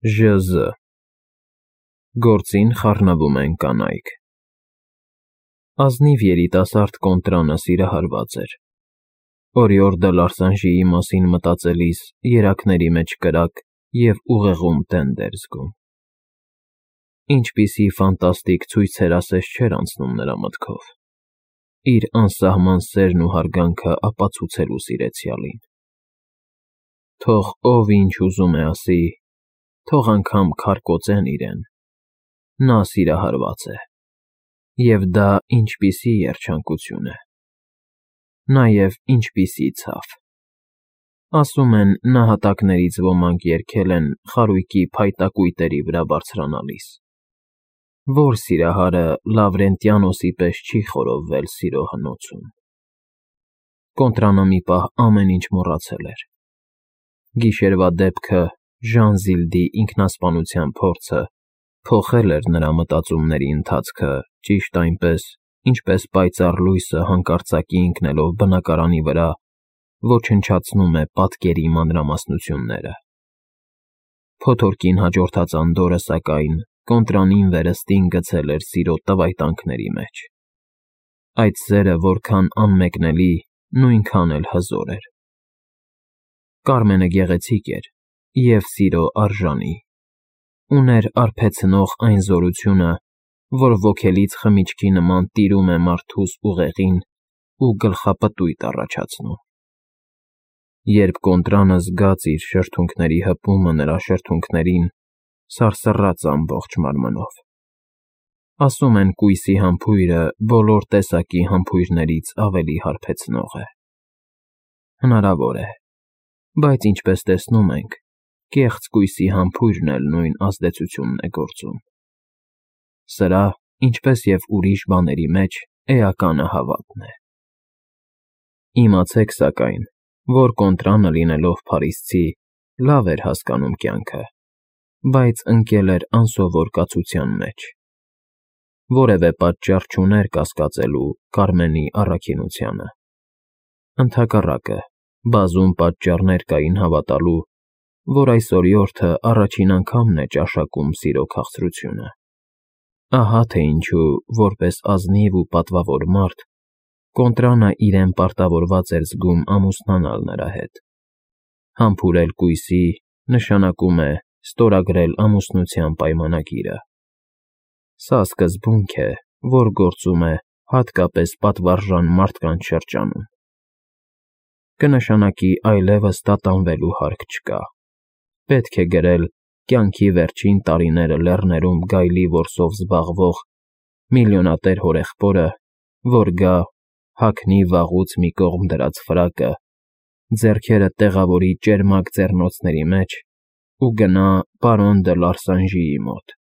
ԺԶ Գործին խառնվում են կանայք։ Ազնիվ երիտասարդ Կոնտրանը սիրահարված էր։ Օրիորդը Լարսանժիի մասին մտածելիս երակների մեջ կրակ և ուղեղում տենդ էր զգում։ Ինչպիսի ֆանտաստիկ ցույցեր ասես չէր անցնում նրա մտքով, իր անսահման սերն ու հարգանքը ապացուցելու սիրեցյալին։ Թող ով ինչ ուզում է ասի, թող անգամ քարկոծեն իրեն, նա սիրահարված է, և դա ինչպիսի երջանկություն է, նաև ինչպիսի ցավ։ Ասում են, նահատակներից ոմանք երգել են խարույկի փայտակույտերի վրա բարձրանալիս։ Ո՞ր սիրահարը Լավրենտիանոսի պես չի խորովվել սիրո հնոցում։ Կոնտրանը մի պահ ամեն ինչ մոռացել էր. գիշերվա դեպքը, Ժանզիլդի ինքնասպանության փորձը փոխել էր նրա մտածումների ընթացքը ճիշտ այնպես, ինչպես պայծառ լույսը հանկարծակի ընկնելով բնակարանի վրա ոչնչացնում է պատկերի մանրամասնությունները։ Փոթորկին հաջորդած անդորրը, սակայն, Կոնտրանին վերստին գցել էր սիրո տվայտանքների մեջ։ Այդ սերը որքան անմեկնելի, նույնքան էլ հզոր էր։ Կարմենը գեղեցիկ էր և սիրո արժանի, ուներ արբեցնող այն զորությունը, որ ոգելից խմիչքի նման տիրում է մարդուս ուղեղին ու գլխապտույտ առաջացնում։ Երբ Կոնտրանը զգաց իր շրթունքների հպումը նրա շրթունքներին, սարսռաց ամբողջ մարմնով։ Ասում են, կույսի համբույրը բոլոր տեսակի համբույրներից ավելի հարբեցնող է։ Հնարավոր է, բայց ինչպես տեսնում ենք, կեղծ կույսի համբույրն էլ նույն ազդեցությունն է գործում։ Սրա, ինչպես և ուրիշ բաների մեջ, էականը հավատն է։ Իմացեք, սակայն, որ Կոնտրանը լինելով փարիսցի, լավ էր հասկանում կյանքը, բայց ընկել էր անսովոր կացության մեջ։ Որևէ պատճառ չուներ կասկածելու Կարմենի առաքինությանը։ Ընդհակառակը, բազում պատճառներ կային հավատալու, որ այս օրիորդը առաջին անգամն է ճաշակում սիրո քաղցրությունը։ Ահա թե ինչու, որպես ազնիվ ու պատվավոր մարդ, Կոնտրանը իրեն պարտավորված էր զգում ամուսնանալ նրա հետ։ Համբուրել կույսի նշանակում է ստորագրել ամուսնության պայմանագիրը։ Սա սկզբունք է, որ գործում է հատկապես պատվարժան մարդկանց շրջանում։ Կնշանակի այլևս տատանվելու հարկ չկա։ Պետք է գրել կյանքի վերջին տարիները լեռներում գայլի որսով զբաղվող միլիոնատեր հորեղբորը, որ գա, հագնի վաղուց մի կողմ դրած ֆրակը, ձեռքերը տեղավորի ճերմակ ձեռնոցների մեջ ու գնա պարոն դը Լարսանժիի մոտ։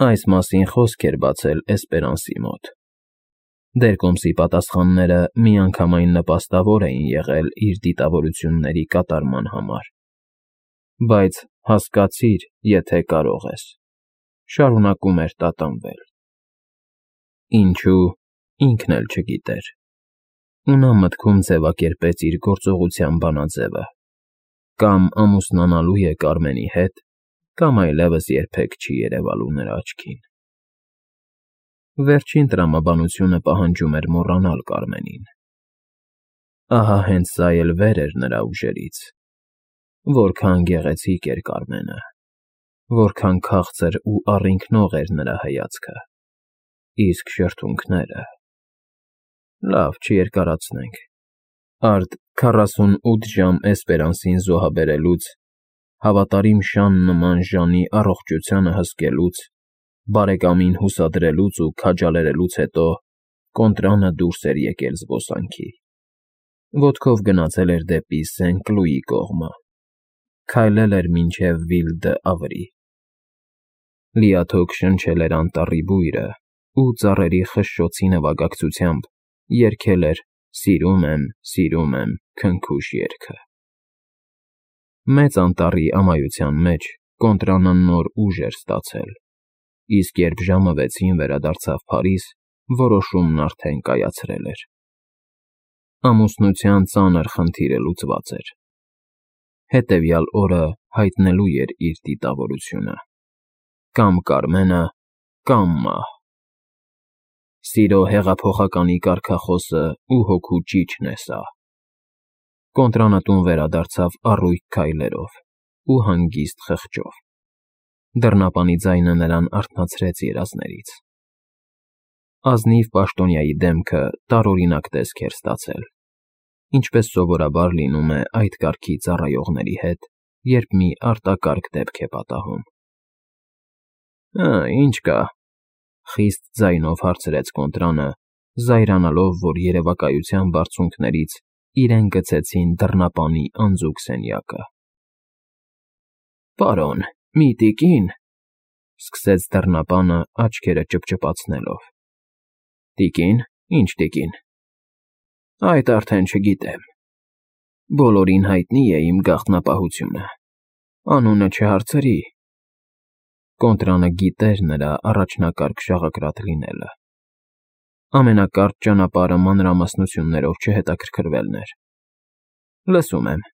Այս մասին խոսք էր բացել Էսպերանսի մոտ։ Դերկոմսի պատասխանները միանգամայն նպաստավոր էին եղել իր դիտավորությունների կատարման համար։ Բայց հասկացիր, եթե կարող ես, շարունակում էր տատանվել։ Ինչու, ինքն էլ չգիտեր։ Ու նա մտքում ձևակերպեց իր գործողության բանաձևը. կամ ամուսնանալու է Կարմենի հետ, կամ այլևս երբեք չի երևալու նրա աչքին։ Վերջին տրամաբանությունը պահանջում էր մոռանալ Կարմենին։ Ահա հենց սա էլ վեր էր նրա ուժերից։ Որքան գեղեցիկ էր Կարմենը, որքան քաղցր ու առինքնող էր նրա հայացքը, իսկ շրթունքները… Լավ, չերկարացնենք։ Արդ 48 ժամ Էսպերանսին զոհաբերելուց, հավատարիմ շան նման Ժանի առողջությանը հսկելուց, բարեկամին հուսադրելուց ու քաջալերելուց հետո Կոնտրանը դուրս էր եկել զբոսանքի։ Ոտքով գնացել էր դեպի Սեն֊Կլուի կողմը, քայլել էր մինչև Վիլ֊դ'Ավրի։ Լիաթոք շնչել էր անտառի բույրը ու ծառերի խշշոցի նվագակցությամբ երգել էր «Սիրում եմ» քնքուշ երգը։ Մեծ անտառի ամայության մեջ Կոնտրանը նոր ուժ էր ստացել, իսկ երբ ժամը 6-ին վերադարձավ Փարիզ, որոշումն արդեն կայացրել էր։ Ամուսնության ծանր խնդիրը լուծված էր։ Հետևյալ օրը հայտնելու էր իր դիտավորությունը. կամ Կարմենը, կամ մահ։ Սիրո հեղափոխականի կարգախոսը ու հոգու ճիչն է սա։ Կոնտրանը տուն վերադարձավ առույգ քայլերով ու հանգիստ խղճով։ Դռնապանի ձայնը նրան արթնացրեց երազներից։ Ազնիվ պաշտոնյայի դեմքը տարօրինակ տեսք էր ստացել, ինչպես սովորաբար լինում է այդ կարգի ծառայողների հետ, երբ մի արտակարգ դեպք է պատահում։ Ինչ կա,֊ խիստ ձայնով հարցրեց Կոնտրանը, զայրանալով, որ երևակայության բարձունքներից իրեն գցեցին դռնապանի անձուկ սենյակը։ Պարոն, մի տիկին,֊ սկսեց դռնապանը աչքերը ճպճպացնելով։ Տիկին, ինչ տիկին։ Այդ արդեն չգիտեմ։ Բոլորին հայտնի է իմ գաղտնապահությունը։ Անունը չհարցրի։ Կոնտրանը գիտեր նրա առաջնակարգ շաղակրատ լինելը։ Ամենակարճ ճանապարհը մանրամասնություններով չհետաքրքրվելն էր։ Լսում եմ,֊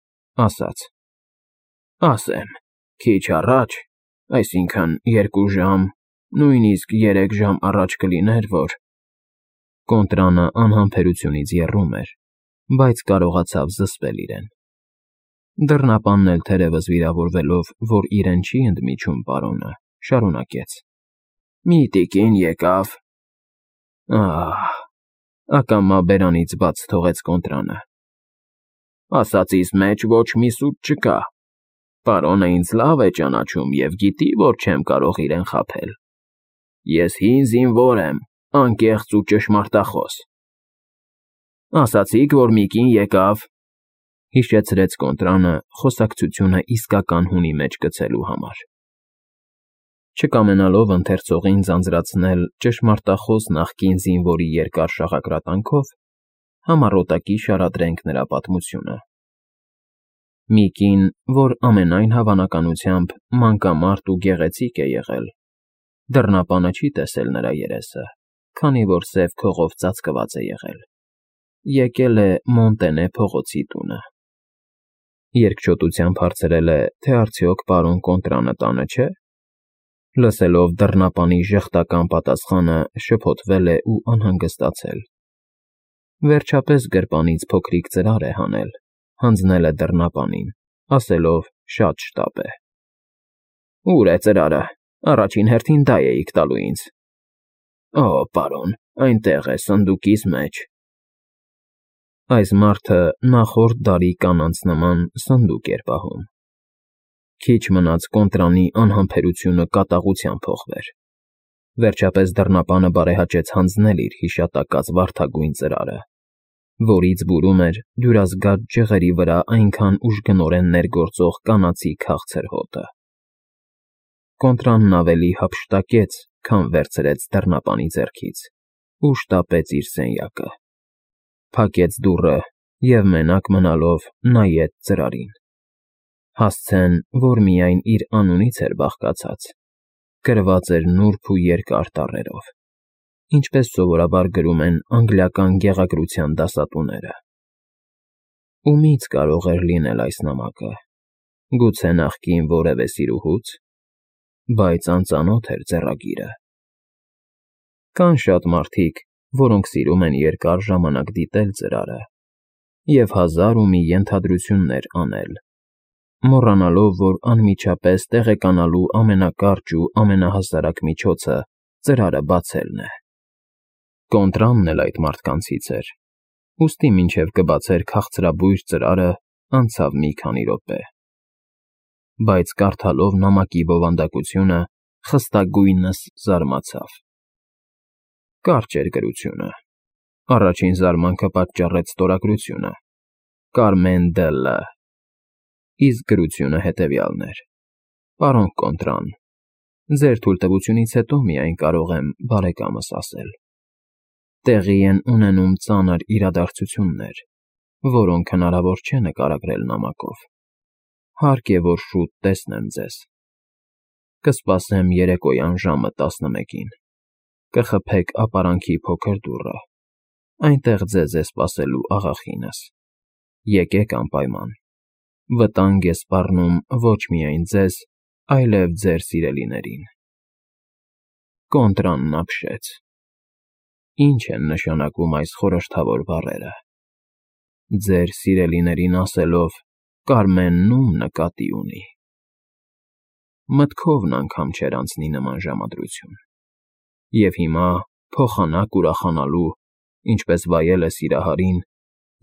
ասաց։ Ասեմ, քիչ առաջ, այսինքն 2 ժամ, նույնիսկ 3 ժամ առաջ կլիներ, որ… Կոնտրանը անհամբերությունից եռում էր, բայց կարողացավ զսպել իրեն։ Դռնապանն էլ թերևս վիրավորվելով, որ իրեն չի ընդմիջում պարոնը, շարունակեց. Մի տիկին եկավ… Ակամա բերանից բաց թողեց Կոնտրանը։ Ասածիս մեջ ոչ մի սուտ չկա։ Պարոնը ինձ լավ է ճանաչում և գիտի, որ չեմ կարող իրեն խաբել։ Ես հին զինվոր եմ, անկեղծ ու ճշմարտախոս։ Ասացիք, որ մի կին եկավ,֊ հիշեցրեց Կոնտրանը, խոսակցությունը իսկական հունի մեջ գցելու համար։ Չկամենալով ընթերցողին ձանձրացնել ճշմարտախոս նախկին զինվորի երկար շաղակրատանքով, համառոտակի շարադրենք նրա պատմությունը։ Մի կին, որ ամենայն հավանականությամբ մանկամարտ ու գեղեցիկ է եղել, դռնապանը չի տեսել նրա երեսը, քանի որ սև քողով ծածկված է եղել, եկել է Մոնտենե փողոցի տունը։ Երկչոտությամբ հարցրել է, թե արդյոք պարոն Կոնտրանը տանը չէ։ Լսելով դռնապանի ժխտական պատասխանը, շփոթվել է ու անհանգստացել։ Վերջապես գրպանից փոքրիկ ծրար է հանել, հանձնել է դռնապանին, ասելով շատ շտապ է. Ո՞ւր է ծրարը, առաջին հերթին դա էիք տալու ինձ։ Պարոն, այնտեղ է, սնդուկիս մեջ։ Այս մարդը նախորդ դարի կանանց նման սնդուկ էր պահում։ Քիչ մնաց Կոնտրանի անհամբերությունը կատաղության փոխվեր։ Վերջապես դռնապանը բարեհաճեց հանձնել իր հիշատակած վարդագույն ծրարը, որից բուրում էր դյուրազգաց ջղերի վրա այնքան ուժգնորեն ներգործող կանացի քաղցր հոտը։ Կոնտրանն ավելի հափշտակեց, քան վերցրեց դռնապանի ձեռքից ու շտապեց իր սենյակը։ Փակեց դուռը և մենակ մնալով նայեց ծրարին։ Հասցեն, որ միայն իր անունից էր բաղկացած, գրված էր նուրբ ու երկար տառերով, ինչպես սովորաբար գրում են անգլիական գեղագրության դասատուները։ Ումից կարող էր լինել այս նամակը, գուցե նախկին որևէ սիրուհուց, բայց անծանոթ էր ձեռագիրը։ Կան շատ մարդիկ, որոնք սիրում են երկար ժամանակ դիտել ծրարը և հազար ու մի ենթադրություններ անել, մոռանալով, որ անմիջապես տեղեկանալու ամենակարճ ու ամենահասարակ միջոցը ծրարը բացելն է։ Կոնտրանն էլ այդ մարդկանցից էր, ուստի մինչև կբացեր քաղցրաբույր ծրարը, անցավ մի քանի րոպե։ Բայց կարդալով նամակի բովանդակությունը, խստագույնս զարմացավ։ Կարճ էր գրությունը։ Առաջին զարմանքը պատճառեց ստորագրությունը. Կարմեն դը Լ. Իսկ գրությունը հետևյալն էր. Պարոն Կոնտրան, ձեր թույլտվությունից հետո միայն կարող եմ բարեկամս ասել. տեղի են ունենում ծանր իրադարձություններ, որոնք հնարավոր չէ նկարագրել նամակով։ Հարկ է, որ շուտ տեսնեմ ձեզ։ Կսպասեմ երեկոյան ժամը 11-ին։ Կխփեք ապարանքի փոքր դուռը, այնտեղ ձեզ է սպասելու աղախինս։ Եկեք անպայման։ Վտանգ է սպառնում ոչ միայն ձեզ, այլև ձեր սիրելիներին։ Կոնտրանն ապշեց։ Ինչ են նշանակում այս խորհրդավոր բառերը։ Ձեր սիրելիներին ասելով, Կարմենն ում նկատի ունի։ Մտքովն անգամ չէր անցնի նման ժամադրություն։ Եվ հիմա, փոխանակ ուրախանալու, ինչպես վայել է սիրահարին,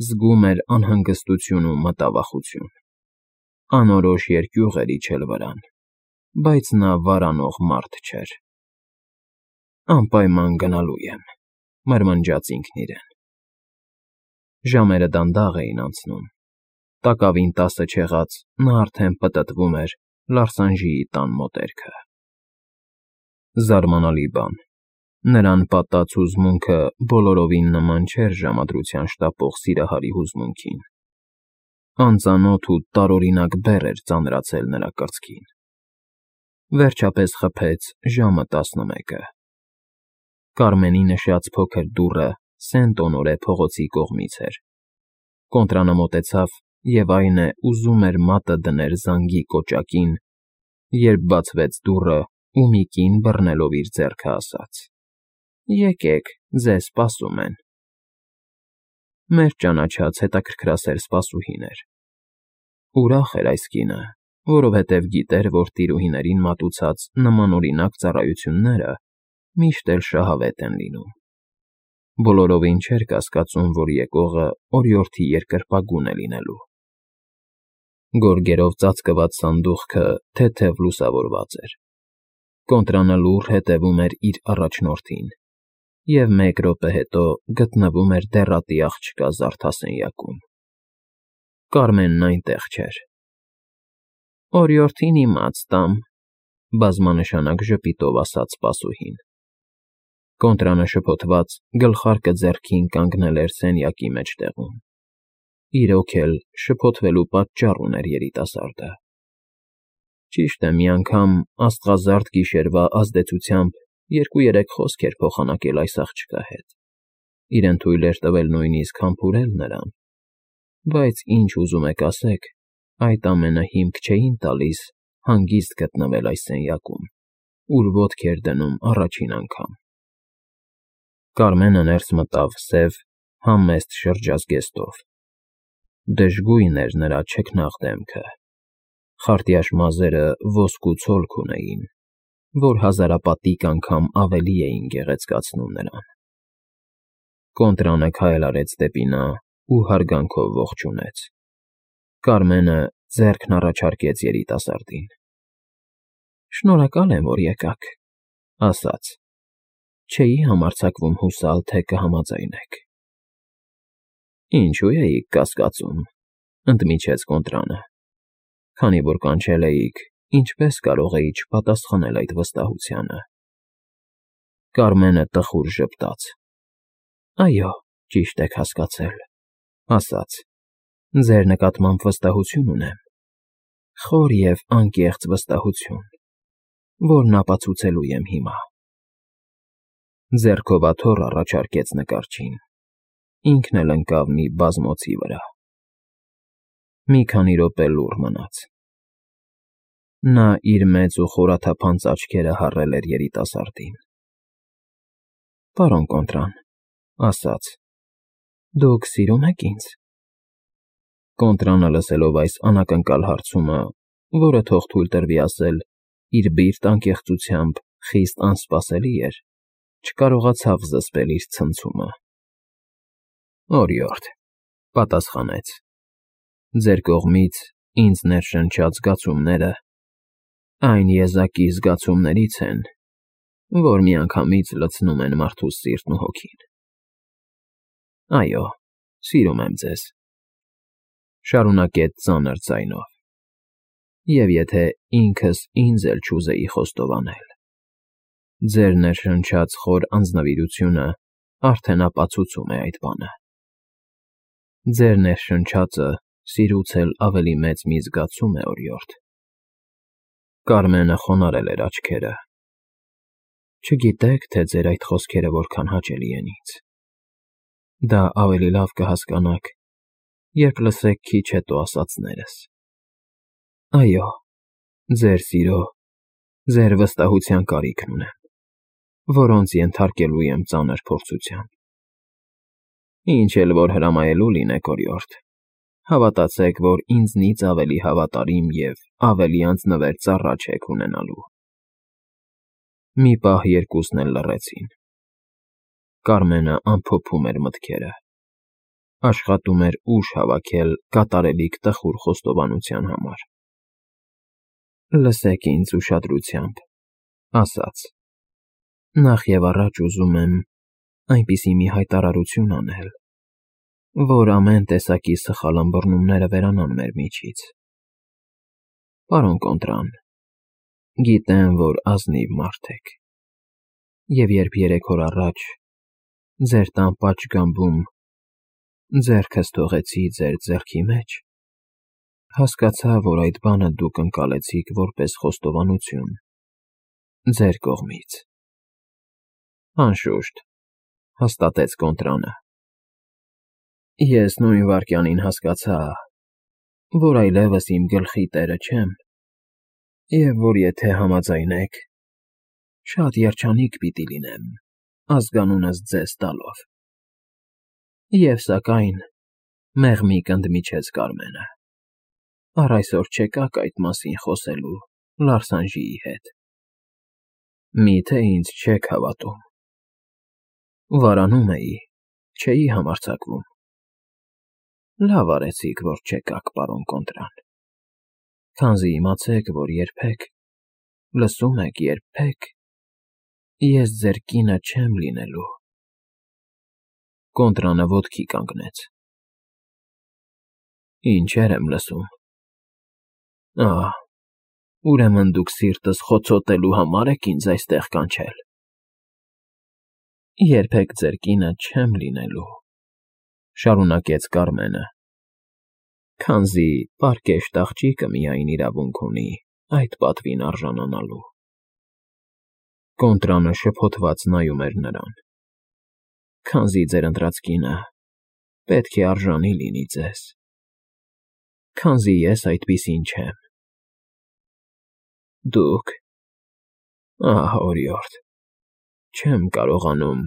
զգում էր անհանգստություն ու մտավախություն։ Անորոշ երկյուղ էր իջել վրան, բայց նա վարանող մարդ չէր։ Անպայման գնալու եմ, մրմնջաց ինքն իրեն։ Ժամերը դանդաղ էին անցնում։ Տակավին 10 չեղած նա արդեն պտտվում էր Լարսանժիի տան մոտերքը։ Զարմանալի բան, նրան պատած հուզմունքը բոլորովին նման չէր ժամադրության շտապող սիրահարի հուզմունքին։ Անծանոթ ու տարօրինակ բեռ էր ծանրացել նրա կրծքին։ Վերջապես խփեց ժամը 11-ը։ Կարմենի նշած փոքր դուռը Սենտ֊Օնորե փողոցի կողմից էր։ Կոնտրանը մոտեցավ և այն է ուզում էր մատը դներ զանգի կոճակին, երբ բացվեց դուռը ու մի կին բռնելով իր ձեռքը ասաց. «Եկեք, ձեզ սպասում են»։ Մեր ճանաչած հետաքրքրասեր սպասուհին էր։ Ուրախ էր այս կինը, որովհետև գիտեր, որ տիրուհիներին մատուցած նմանօրինակ ծառայությունները միշտ էլ շահավետ են լինում։ Բոլորովին չէր կասկածում, որ եկողը օրիորդի երկրպագուն է լինելու։ Գորգերով ծածկված սանդուղքը թեթև լուսավորված էր։ Կոնտրանը լուռ հետևում էր իր առաջնորդին և 1 րոպե հետո գտնվում էր դեռատի աղջկա զարդասենյակում։ Կարմենն այնտեղ չէր։ «Օրիորդին իմաց տամ», բազմանշանակ ժպիտով ասաց սպասուհին։ Կոնտրանը շփոթված գլխարկը ձեռքին կանգնել էր սենյակի մեջտեղում։ Իրոք էլ շփոթվելու պատճառ ուներ երիտասարդը։ Ճիշտ է, մի անգամ աստղազարդ գիշերվա ազդեցությամբ 2-3 խոսք էր փոխանակել այս աղջկա հետ։ Իրեն թույլ էր տվել նույնիսկ համբուրել նրան։ Բայց ինչ ուզում եք ասեք, այդ ամենը հիմք չէին տալիս հանգիստ գտնվել այս սենյակում, ուր ոտք էր դնում առաջին անգամ։ Կարմենը ներս մտավ սև, համեստ շրջազգեստով։ Դժգույն էր նրա չքնաղ դեմքը։ Խարտյաշ մազերը ոսկու ցոլք ունեին, որ հազարապատիկ անգամ ավելի էին գեղեցկացնում նրան։ Կոնտրանը քայլ արեց դեպի նա ու հարգանքով ողջունեց։ Կարմենը ձեռքն առաջարկեց երիտասարդին։ «Շնորհակալ եմ, որ եկաք», ասաց։ «Չէի համարձակվում հուսալ, թե կհամաձայնեք»։ «Ինչու էիք կասկածում», ընդմիջեց Կոնտրանը։ «Քանի որ կանչել էիք, ինչպե՞ս կարող էի չպատասխանել այդ վստահությանը»։ Կարմենը տխուր ժպտաց։ «Այո, ճիշտ եք հասկացել», ասաց։ «Ձեր նկատմամբ վստահություն ունեմ, խոր և անկեղծ վստահություն, որն ապացուցելու եմ հիմա»։ Ձեռքով աթոռ առաջարկեց նկարչին։ Ինքն էլ ընկավ մի բազմոցի վրա։ Մի քանի րոպե լուռ մնաց։ Նա իր մեծ ու խորաթափանց աչքերը հառել էր երիտասարդին։ «Պարոն Կոնտրան», ասաց, «դուք սիրո՞ւմ եք ինձ»։ Կոնտրանը լսելով այս անակնկալ հարցումը, որը թող թույլ տրվի ասել, իր բիրտ անկեղծությամբ խիստ անսպասելի էր, չկարողացավ զսպել իր ցնցումը։ «Օրիորդ», պատասխանեց, «ձեր կողմից ինձ ներշնչած զգացումները այն եզակի զգացումներից են, որ միանգամից լցնում են մարդուս սիրտն ու հոգին։ Այո, սիրում եմ ձեզ», շարունակեց ծանր ձայնով, «և եթե ինքս ինձ էլ չուզեի խոստովանել, ձեր ներշնչած խոր անձնվիրությունը արդեն ապացուցում է այդ բանը։ Ձեր ներշնչածը սիրուց էլ ավելի մեծ մի զգացում է, օրիորդ»։ Կարմենը խոնարհել էր աչքերը։ «Չգիտեք, թե ձեր այդ խոսքերը որքան հաճելի են ինձ։ Դա ավելի լավ կհասկանաք, երբ լսեք քիչ հետո ասածներս»։ Այո, ձեր սիրո, ձեր վստահության կարիքն ունեմ, որոնց ենթարկելու եմ ծանր փորձության։ Ինչ էլ որ հրամայելու լինեք, օրիորդ, հավատացեք, որ ինձնից ավելի հավատարիմ և ավելի անձնվեր ծառա չեք ունենալու։ Մի պահ երկուսն էլ լռեցին։ Կարմենը ամփոփում էր մտքերը, աշխատում էր ուժ հավաքել կատարելիք տխուր խոստովանության համար։ Լսեք ինձ ուշադրությամբ, ասաց. Նախ և առաջ ուզում եմ այնպիսի մի հայտարարություն անել, որ ամեն տեսակի սխալ ըմբռնումները վերանան մեր միջից։ Պարոն Կոնտրան, գիտեմ, որ ազնիվ մարդ եք, և երբ 3 օր առաջ ձեր տան պատշգամբում ձեռքս թողեցի ձեր ձեռքի մեջ, հասկացա, որ այդ բանը դուք ընկալեցիք որպես խոստովանություն ձեր կողմից։ Անշուշտ, հաստատեց Կոնտրանը, ես նույն վայրկյանին հասկացա, որ այլևս իմ գլխի տերը չեմ, և որ եթե համաձայնեք, շատ երջանիկ պիտի լինեմ ազգանունս ձեզ տալով։ Եվ սակայն, մեղմիկ ընդմիջեց Կարմենը, առ այսօր չեկաք այդ մասին խոսելու Լարսանժիի հետ։ Միթե ինձ չեք հավատում։ Վարանում էի, չէի համարձակվում։ Լավ արեցիք, որ չեկաք, պարոն Կոնտրան, քանզի իմացեք, որ երբեք, լսում եք, երբեք ես ձեր կինը չեմ լինելու։ Կոնտրանը ոտքի կանգնեց։ Ինչեր եմ լսում։ Ուրեմն դուք սիրտս խոցոտելու համար եք ինձ այստեղ կանչել։ Երբեք ձեր կինը չեմ լինելու, շարունակեց Կարմենը, քանզի պարկեշտ աղջիկը միայն իրավունք ունի այդ պատվին արժանանալու։ Կոնտրանը շփոթված նայում էր նրան։ Քանզի ձեր ընտրած կինը պետք է արժանի լինի ձեզ, քանզի ես այդպիսին չեմ։ Դուք… օրիորդ, չեմ կարողանում,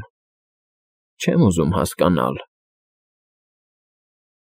չեմ ուզում հասկանալ,